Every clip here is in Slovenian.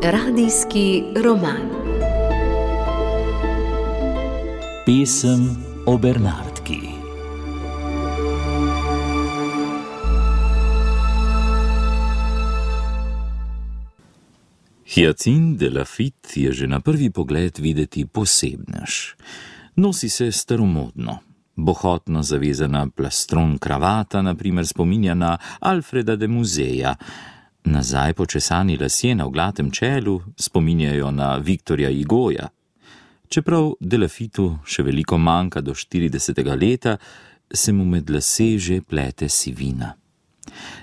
Radijski roman. Pesem o Bernardki. Hyacinthe de Laffitte je že na prvi pogled videti posebnež. Nosi se staromodno. Bohotno zavezana plastron kravata, na primer, spominja na Alfreda de Museja. Nazaj počesani lasje na oglatem čelu spominjajo na Victorja Hugoja. Čeprav de Laffittu še veliko manjka do 40. leta, se mu med lase že plete sivina.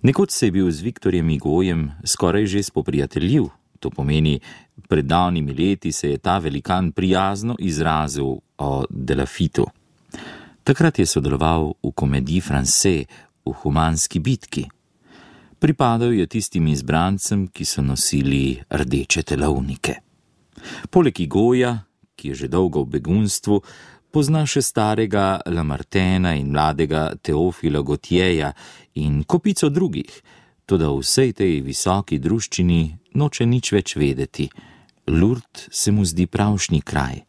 Nekoč se je bil z Victorjem Hugojem skoraj že spoprijateljiv. To pomeni, pred davnimi leti se je ta velikan prijazno izrazil o de Laffittu. Takrat je sodeloval v Comédie Française, v Humanski bitki. Pripadal je tistim izbrancem, ki so nosili rdeče telovnike. Poleg Hugoja, ki je že dolgo v begunstvu, pozna še starega Lamartena in mladega Teofila Gautieja in kopico drugih, toda v vsej tej visoki druščini noče nič več vedeti. Lourdes se mu zdi pravšnji kraj,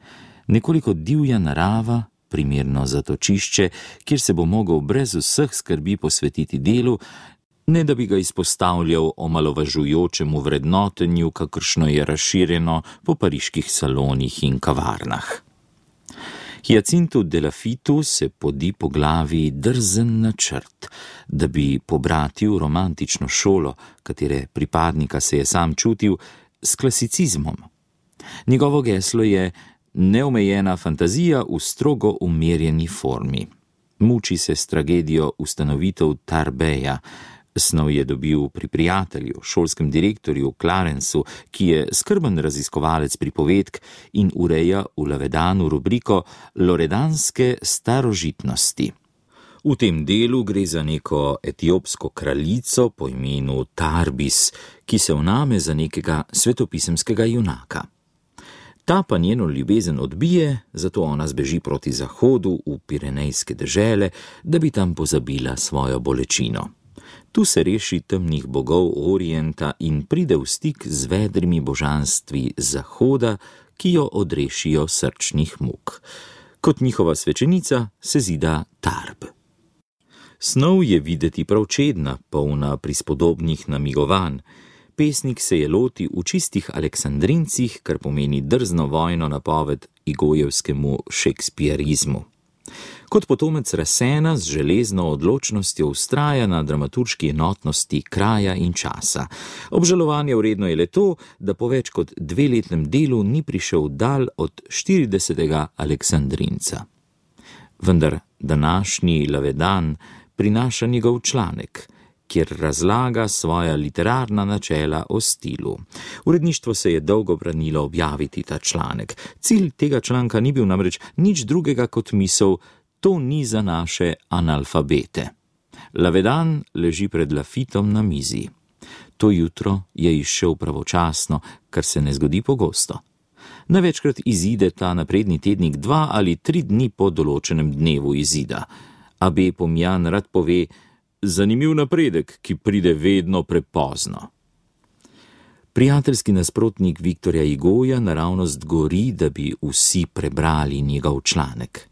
nekoliko divja narava, primerno zatočišče, kjer se bo mogel brez vseh skrbi posvetiti delu, ne da bi ga izpostavljal omalovažujočemu vrednotenju, kakršno je razširjeno po pariških salonih in kavarnah. Hyacinthu de Laffittu se podi po glavi drzen načrt, da bi pobratil romantično šolo, katere pripadnika se je sam čutil, s klasicizmom. Njegovo geslo je neomejena fantazija v strogo umerjeni formi. Muči se s tragedijo ustanovitev Tarbeja. Snov je dobil pri prijatelju, šolskem direktorju Clarencu, ki je skrben raziskovalec pripovedk in ureja v Lavedanu rubriko Loredanske starožitnosti. V tem delu gre za neko etiopsko kraljico po imenu Tarbis, ki se vname za nekega svetopisemskega junaka. Ta pa njeno ljubezen odbije, zato ona zbeži proti zahodu v Pirenejske dežele, da bi tam pozabila svojo bolečino. Tu se reši temnih bogov Orienta in pride v stik z vedrimi božanstvi zahoda, ki jo odrešijo srčnih muk. Kot njihova svečenica se zida Tarb. Snov je videti prav čedna, polna prispodobnih namigovanj. Pesnik se je loti v čistih aleksandrincih, kar pomeni drzno vojno napoved Hugojevskemu šekspirizmu. Kot potomec Rassena z železno odločnostjo vztraja na dramaturški enotnosti kraja in časa. Obžalovanja vredno je le to, da po več kot 2-letnem delu ni prišel dal od 40. Aleksandrinca. Vendar današnji Lavedan prinaša njegov članek, kjer razlaga svoja literarna načela o stilu. Uredništvo se je dolgo branilo objaviti ta članek. Cilj tega članka ni bil namreč nič drugega kot misel: to ni za naše analfabete. Lavedan leži pred Laffittom na mizi. To jutro je izšel pravočasno, kar se ne zgodi pogosto. Največkrat izide ta napredni tednik 2 ali 3 dni po določenem dnevu izida. A.B. Pomjan rad pove: zanimiv napredek, ki pride vedno prepozno. Prijateljski nasprotnik Victorja Hugoja naravnost gori, da bi vsi prebrali njegov članek.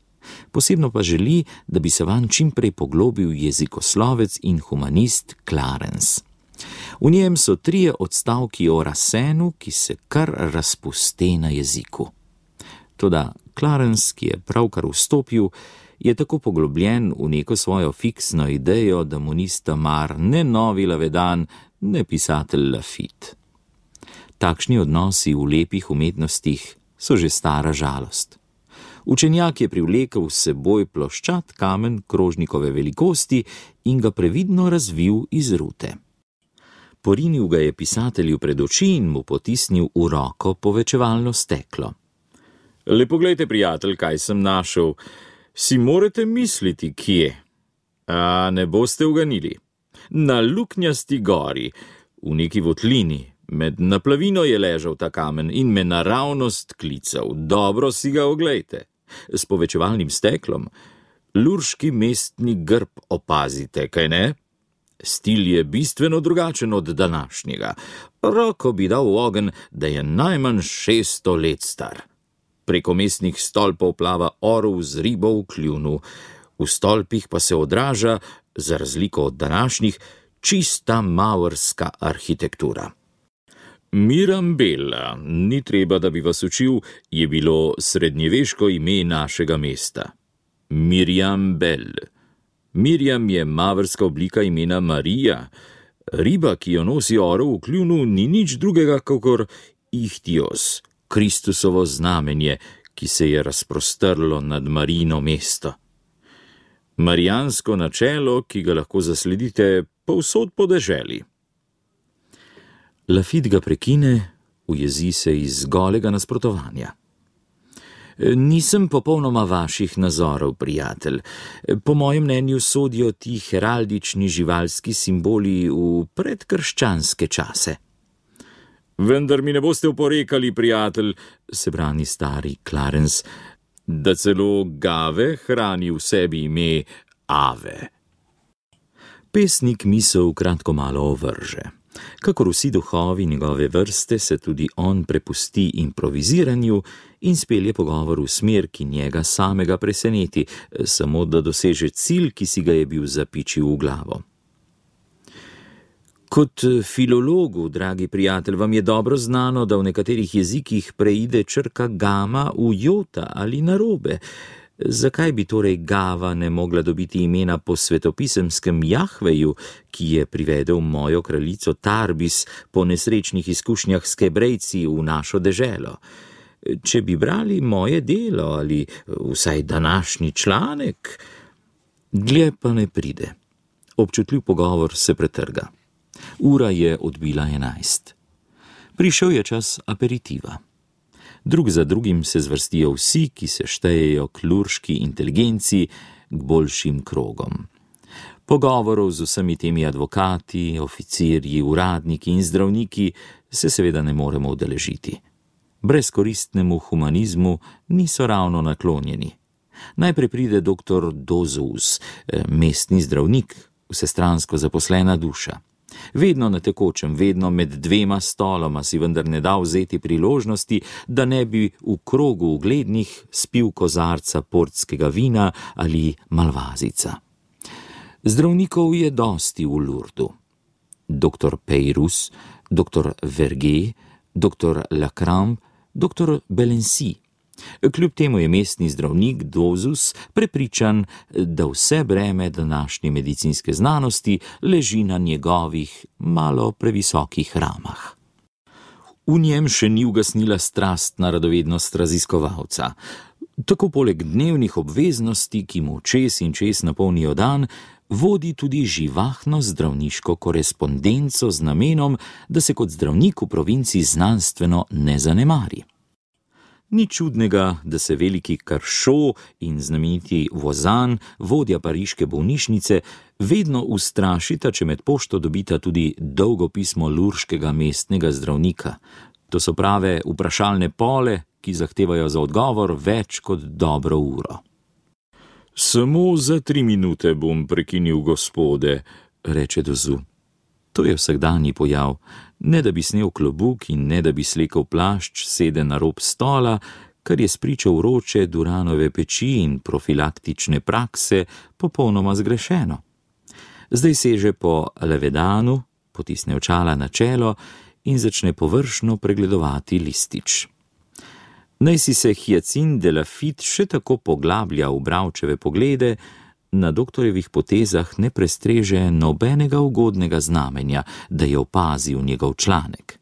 Posebno pa želi, da bi se vanj čim prej poglobil jezikoslovec in humanist Clarence. V njem so 3 odstavki o Rassenu, ki se kar razpuste na jeziku. Toda Clarence, ki je pravkar vstopil, je tako poglobljen v neko svojo fiksno idejo, da mu nista mar ne novi Lavedan, ne pisatelj Laffitte. Takšni odnosi v lepih umetnostih so že stara žalost. Učenjak je privlekel s seboj ploščat kamen krožnikove velikosti in ga previdno razvil iz rute. Porinil ga je pisatelju pred oči in mu potisnil v roko povečevalno steklo. Le poglejte, prijatelj, kaj sem našel. Si morate misliti, kje? A ne boste uganili. Na Luknjasti gori, v neki votlini, med naplavino je ležal ta kamen in me naravnost klical. Dobro si ga oglejte. S povečevalnim steklom. Lurški mestni grb opazite, kaj ne? Stil je bistveno drugačen od današnjega. Roko bi dal v ogenj, da je najmanj 600 let star. Preko mestnih stolpov plava orel z ribo v kljunu. V stolpih pa se odraža, za razliko od današnjih, čista mavrska arhitektura. Mirambella, ni treba, da bi vas učil, je bilo srednjeveško ime našega mesta. Mirjam Bell. Mirjam je mavrska oblika imena Marija. Riba, ki jo nosi orel v kljunu, ni nič drugega kakor Ihtios, Kristusovo znamenje, ki se je razprostrlo nad Marijino mesto. Marijansko načelo, ki ga lahko zasledite povsod po deželi. Lafitte ga prekine, ujezi se iz golega nasprotovanja. Nisem popolnoma vaših nazorov, prijatelj. Po mojem mnenju sodijo ti heraldični živalski simboli v predkrščanske čase. Vendar mi ne boste oporekali, prijatelj, se brani stari Clarence, da celo Gave hrani v sebi ime Ave. Pesnik misel kratko malo ovrže. Kakor vsi duhovi njegove vrste, se tudi on prepusti improviziranju in spelje pogovor v smer, ki njega samega preseneti, samo da doseže cilj, ki si ga je bil zapičil v glavo. Kot filologu, dragi prijatelj, vam je dobro znano, da v nekaterih jezikih preide črka gama v jota ali narobe. Zakaj bi torej Gava ne mogla dobiti imena po svetopisemskem Jahveju, ki je privedel mojo kraljico Tarbis po nesrečnih izkušnjah s Kebrejci v našo deželo? Če bi brali moje delo ali vsaj današnji članek, dlje pa ne pride. Občutljiv pogovor se pretrga. Ura je odbila 11. Prišel je čas aperitiva. Drug za drugim se zvrstijo vsi, ki se štejejo k lurški inteligenci, k boljšim krogom. Pogovorov z vsemi temi advokati, oficirji, uradniki in zdravniki se seveda ne moremo udeležiti. Brezkoristnemu humanizmu niso ravno naklonjeni. Najprej pride dr. Dozus, mestni zdravnik, vsestransko zaposlena duša. Vedno na tekočem, vedno med dvema stoloma si vendar ne da vzeti priložnosti, da ne bi v krogu uglednih spil kozarca portskega vina ali malvazica. Zdravnikov je dosti v Lurdu. Dr. Peyrus, dr. Verger, dr. Lacrambe, dr. Belency. Kljub temu je mestni zdravnik Dozus prepričan, da vse breme današnje medicinske znanosti leži na njegovih malo previsokih ramah. V njem še ni ugasnila strastna radovednost raziskovalca. Tako poleg dnevnih obveznosti, ki mu čez in čez napolnijo dan, vodi tudi živahno zdravniško korespondenco z namenom, da se kot zdravnik v provinci znanstveno ne zanemari. Ni čudnega, da se veliki Karšo in znameniti Vozan, vodja pariške bolnišnice, vedno ustrašita, če med pošto dobita tudi dolgo pismo lurškega mestnega zdravnika. To so prave vprašalne pole, ki zahtevajo za odgovor več kot dobro uro. Samo za 3 minute bom prekinil gospode, reče Dozu. To je vsakdanji pojav. Ne da bi snel klobuk in ne da bi slekel plašč, sede na rob stola, kar je spričo vroče Duranove peči in profilaktične prakse popolnoma zgrešeno. Zdaj seže po levedanu, potisne očala na čelo in začne površno pregledovati listič. Naj si se Hyacinthe de Lafitte še tako poglablja v bravčeve poglede, na doktorjevih potezah ne prestreže nobenega ugodnega znamenja, da je opazil njegov članek.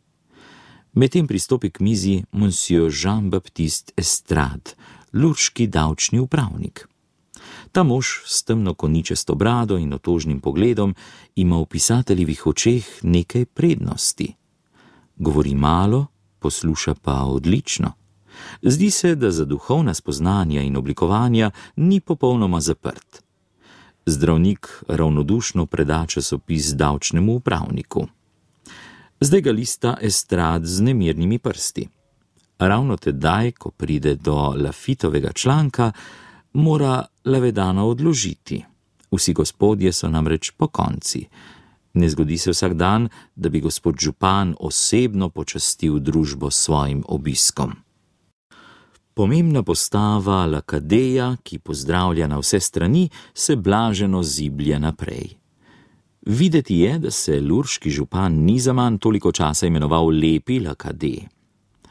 Medtem pristopi k mizi monsieur Jean-Baptiste Estrade, lurški davčni upravnik. Ta mož s temno koničasto brado in otožnim pogledom ima v pisateljevih očeh nekaj prednosti. Govori malo, posluša pa odlično. Zdi se, da za duhovna spoznanja in oblikovanja ni popolnoma zaprt. Zdravnik ravnodušno preda časopis davčnemu upravniku. Zdaj ga lista Estrade z nemirnimi prsti. Ravno tedaj, ko pride do Lafittovega članka, mora Lavedana odložiti. Vsi gospodje so namreč pokonci. Ne zgodi se vsak dan, da bi gospod župan osebno počastil družbo s svojim obiskom. Pomembna postava Lakadeja, ki pozdravlja na vse strani, se blaženo ziblje naprej. Videti je, da se lurški župan ni zaman toliko časa imenoval Lepi Lakadej.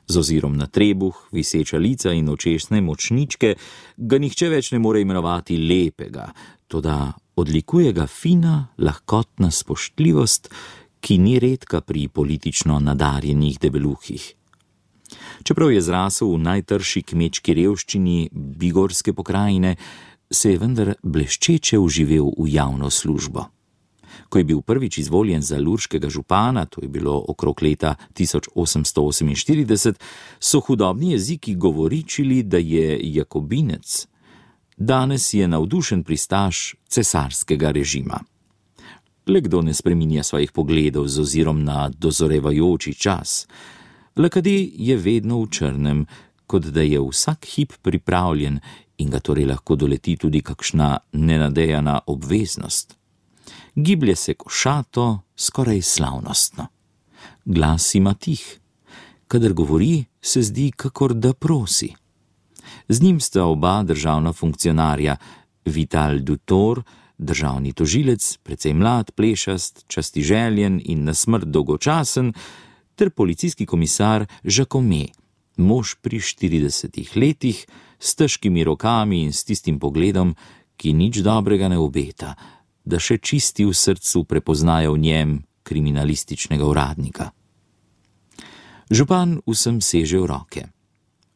Z ozirom na trebuh, viseča lica in očesne močničke ga nihče več ne more imenovati lepega, toda odlikuje ga fina, lahkotna spoštljivost, ki ni redka pri politično nadarjenih debeluhih. Čeprav je zrasel v najtrši kmečki revščini bigorske pokrajine, se je vendar bleščeče vživel v javno službo. Ko je bil prvič izvoljen za lurškega župana, to je bilo okrog leta 1848, so hudobni jeziki govoričili, da je jakobinec. Danes je navdušen pristaš cesarskega režima. Le kdo ne spreminja svojih pogledov z ozirom na dozorevajoči čas. Lakadej je vedno v črnem, kot da je vsak hip pripravljen in ga torej lahko doleti tudi kakšna nenadejana obveznost. Giblje se košato, skoraj slavnostno. Glas ima tih. Kadar govori, se zdi, kakor da prosi. Z njim sta oba državna funkcionarja, Vital Dutor, državni tožilec, precej mlad, plešast, častiželjen in na smrt dolgočasen, ter policijski komisar Jacome, mož pri 40 letih, s težkimi rokami in s tistim pogledom, ki nič dobrega ne obeta, da še čisti v srcu prepoznajo v njem kriminalističnega uradnika. Župan vsem seže v roke.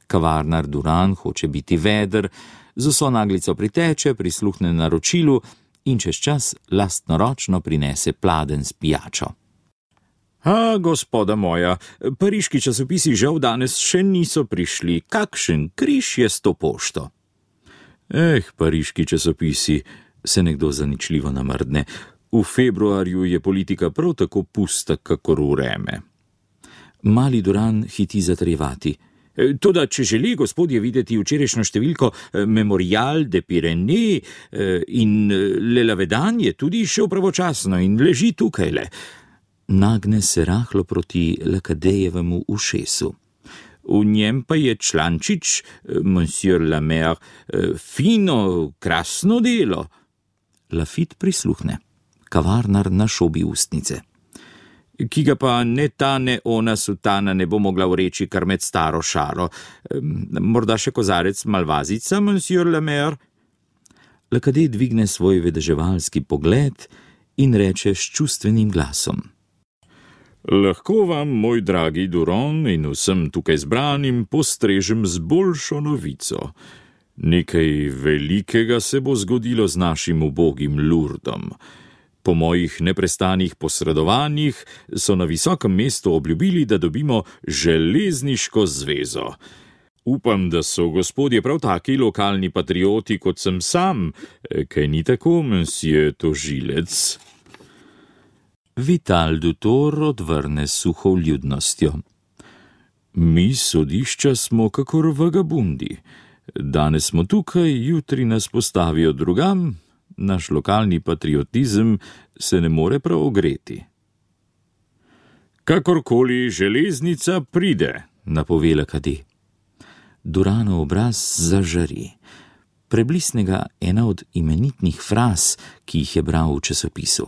Kavarnar Duran hoče biti veder, z vso naglico priteče, prisluhne naročilu in čez čas lastnoročno prinese pladenj s pijačo. Gospoda moja, pariški časopisi žal danes še niso prišli. Kakšen križ je s to pošto? Pariški časopisi, se nekdo zaničljivo namrdne. V februarju je politika prav tako pusta, kakor vreme. Mali Duran hiti zatrjevati. Toda, če želi gospodje videti včerajšnjo številko Memorial de Pyrénées in Le Lavedan, je tudi šel pravočasno in leži tukajle. Nagne se rahlo proti Lakadejevemu ušesu. V njem pa je člančič, monsieur la maire, fino, krasno delo. Lafit prisluhne. Kavarnar našobi ustnice. Ki ga pa ne ta ne ona sutana ne bo mogla vreči kar med staro šaro. Morda še kozarec malvazica, monsieur la maire? Lakadej dvigne svoj vedeževalski pogled in reče s čustvenim glasom. Lahko vam, moj dragi Duron, in vsem tukaj zbranim postrežem z boljšo novico. Nekaj velikega se bo zgodilo z našim ubogim Lurdom. Po mojih neprestanih posredovanjih so na visokem mestu obljubili, da dobimo železniško zvezo. Upam, da so gospodje prav taki lokalni patrioti, kot sem sam, kaj ni tako, monsieur tožilec? Vital Dutor odvrne suho vljudnostjo. Mi sodišča smo kakor vagabundi. Danes smo tukaj, jutri nas postavijo drugam, naš lokalni patriotizem se ne more prav ogreti. Kakorkoli železnica pride, napove Lakadej. Duranov obraz zažari. Preblisne ga ena od imenitnih fraz, ki jih je bral v časopisu.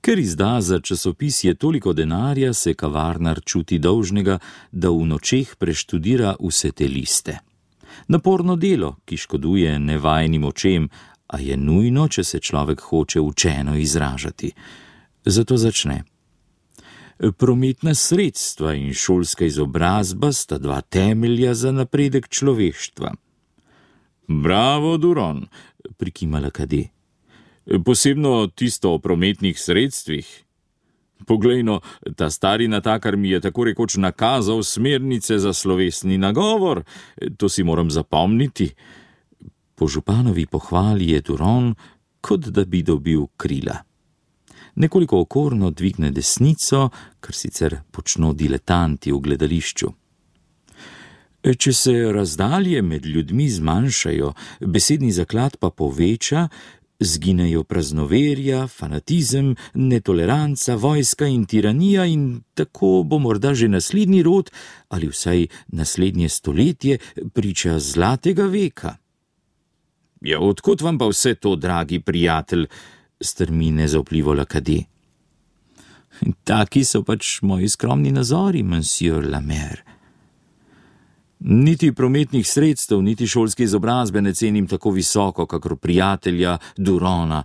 Ker izda za časopis je toliko denarja, se kavarnar čuti dolžnega, da v nočeh preštudira vse te liste. Naporno delo, ki škoduje nevajnim očem, a je nujno, če se človek hoče učeno izražati. Zato začne. Prometna sredstva in šolska izobrazba sta dva temelja za napredek človeštva. Bravo, Duron, prikima Lakadej. Posebno tisto o prometnih sredstvih. Poglejno, ta stari natakar mi je tako rekoč nakazal smernice za slovesni nagovor, to si moram zapomniti. Po županovi pohvali je Duron, kot da bi dobil krila. Nekoliko okorno dvigne desnico, kar sicer počno diletanti v gledališču. Če se razdalje med ljudmi zmanjšajo, besedni zaklad pa poveča, zginejo praznoverja, fanatizem, netoleranca, vojska in tiranija in tako bo morda že naslednji rod ali vsaj naslednje stoletje priča zlatega veka. Ja, odkot vam pa vse to, dragi prijatelj, strmi nezaupljivo Lakadi. Taki so pač moji skromni nazori, monsieur Lamer. Niti prometnih sredstev, niti šolske izobrazbe ne cenim tako visoko, kakor prijatelja Durona,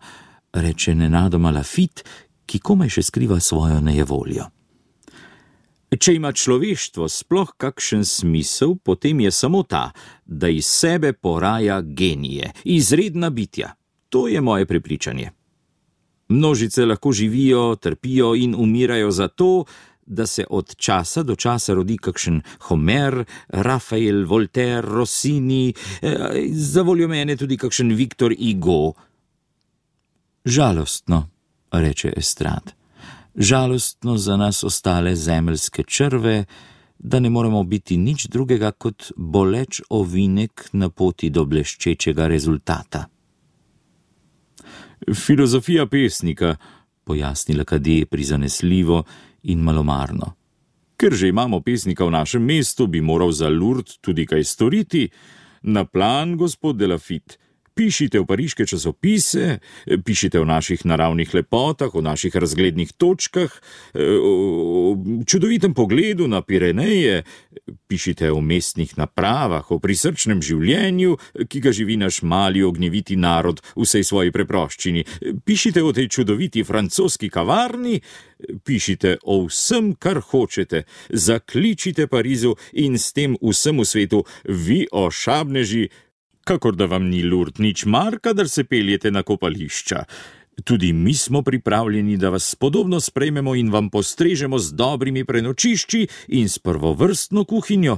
reče nenadoma Lafitte, ki komaj še skriva svojo nejevoljo. Če ima človeštvo sploh kakšen smisel, potem je samo ta, da iz sebe poraja genije, izredna bitja. To je moje prepričanje. Množice lahko živijo, trpijo in umirajo zato, da se od časa do časa rodi kakšen Homer, Rafael, Voltaire, Rossini, za voljo mene tudi kakšen Victor Hugo. Žalostno, reče Estrade. Žalostno za nas ostale zemeljske črve, da ne moremo biti nič drugega kot boleč ovinek na poti do bleščečega rezultata. Filozofija pesnika, pojasni Lakadi prizanesljivo in malomarno. Ker že imamo pesnika v našem mestu, bi moral za Lourdes tudi kaj storiti. Na plan, gospod de Lafitte. Pišite v pariške časopise, pišite o naših naravnih lepotah, o naših razglednih točkah, o čudovitem pogledu na Pireneje, pišite o mestnih napravah, o prisrčnem življenju, ki ga živi naš mali ognjeviti narod v vsej svoji preproščini, pišite o tej čudoviti francoski kavarni, pišite o vsem, kar hočete, zakličite Parizu in s tem vsemu svetu, vi ošabneži, kakor da vam ni Lourdes nič mar, kadar se peljete na kopališča. Tudi mi smo pripravljeni, da vas podobno sprejmemo in vam postrežemo z dobrimi prenočišči in s prvovrstno kuhinjo.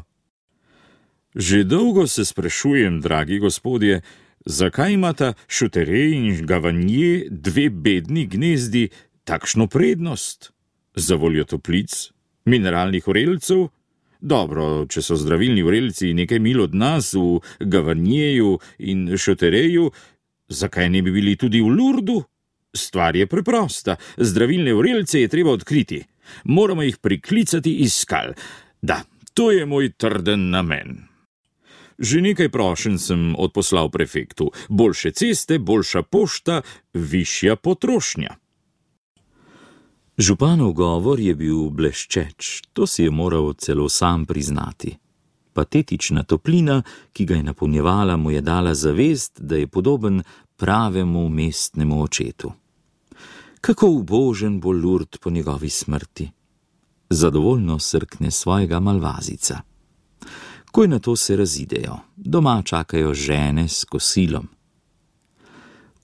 Že dolgo se sprašujem, dragi gospodje, zakaj imata Šutere in Gavanje, dve bedni gnezdi, takšno prednost? Za voljo toplic, mineralnih vrelcev? Dobro, če so zdravilni vrelci nekaj mil od nas v Gavanjeju in Šutereju, zakaj ne bi bili tudi v Lourdesu? Stvar je preprosta, zdravilne vrelce je treba odkriti. Moramo jih priklicati iz skal. Da, to je moj trden namen. Že nekaj prošenj sem odposlal prefektu. Boljše ceste, boljša pošta, višja potrošnja. Županov govor je bil bleščeč, to si je moral celo sam priznati. Patetična toplina, ki ga je napolnjevala, mu je dala zavest, da je podoben pravemu mestnemu očetu. Kako ubožen bo Lourdes po njegovi smrti. Zadovoljno srkne svojega malvazica. Ko je na to se razidejo, doma čakajo žene s kosilom.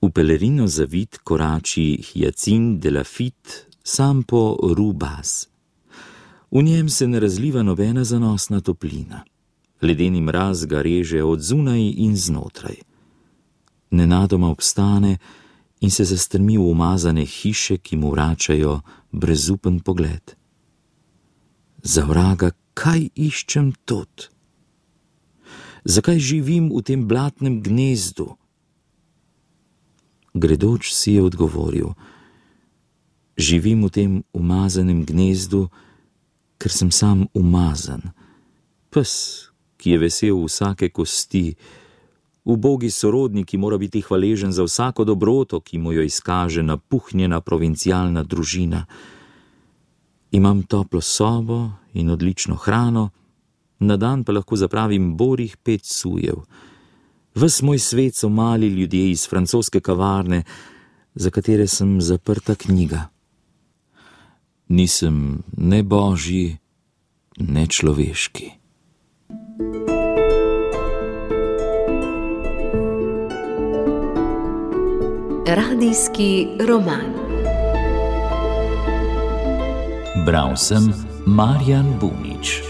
V pelerino zavit korači Hyacinthe de Lafitte, sam po Rue Basse. V njem se ne razliva nobena zanosna toplina. Ledeni mraz ga reže od zunaj in znotraj. Nenadoma obstane in se zastrmi v umazane hiše, ki mu vračajo brezupen pogled. Za vraga, kaj iščem tod? Zakaj živim v tem blatnem gnezdu? Gredoč si je odgovoril: živim v tem umazanem gnezdu, ker sem sam umazan. Pes, ki je vesel vsake kosti, ubogi sorodnik, ki mora biti hvaležen za vsako dobroto, ki mu jo izkaže napuhnjena provincialna družina. Imam toplo sobo in odlično hrano, na dan pa lahko zapravim borih 5 sujev. Ves moj svet so mali ljudje iz francoske kavarne, za katere sem zaprta knjiga. Nisem ne božji, ne človeški. Radijski roman. Bral sem Marjan Bunič.